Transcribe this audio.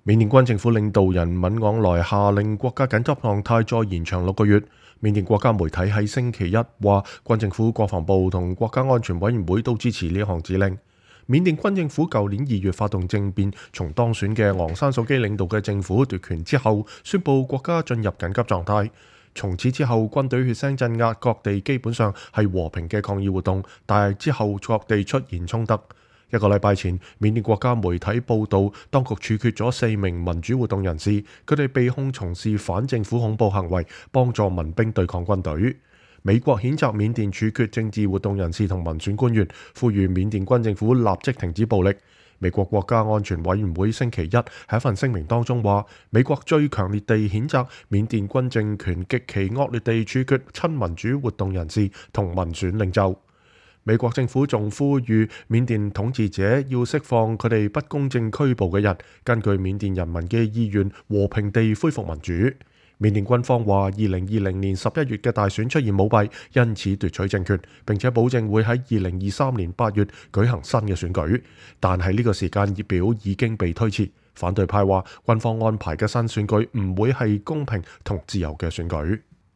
緬甸軍政府領導人敏昂萊下令國家緊急狀態再延長6個月。緬甸國家媒體喺星期一話，軍政府、國防部同國家安全委員會都支持呢項指令。緬甸軍政府舊年2月發動政變，從當選嘅昂山素基領導嘅政府奪權之後，宣布國家進入緊急狀態。從此之後，軍隊血腥鎮壓各地，基本上係和平嘅抗議活動，但係之後各地出現衝突。1個禮拜前，緬甸國家媒體報道，當局處決咗4名民主活動人士，佢哋被控從事反政府恐怖行為，幫助民兵對抗軍隊。美國譴責緬甸處決政治活動人士同民選官員，呼籲緬甸軍政府立即停止暴力。美國國家安全委員會星期一喺一份聲明當中話，美國最強烈地譴責緬甸軍政權極其惡劣地處決親民主活動人士同民選領袖。美國政府仲呼籲緬甸統治者要釋放佢哋不公正拘捕嘅人，根據緬甸人民嘅意願和平地恢復民主。緬甸軍方話，2020年11月嘅大選出現舞弊，因此奪取政權，並且保證會喺2023年8月舉行新嘅選舉。但係呢個時間表已經被推遲。反對派話，軍方安排嘅新選舉唔會係公平同自由嘅選舉。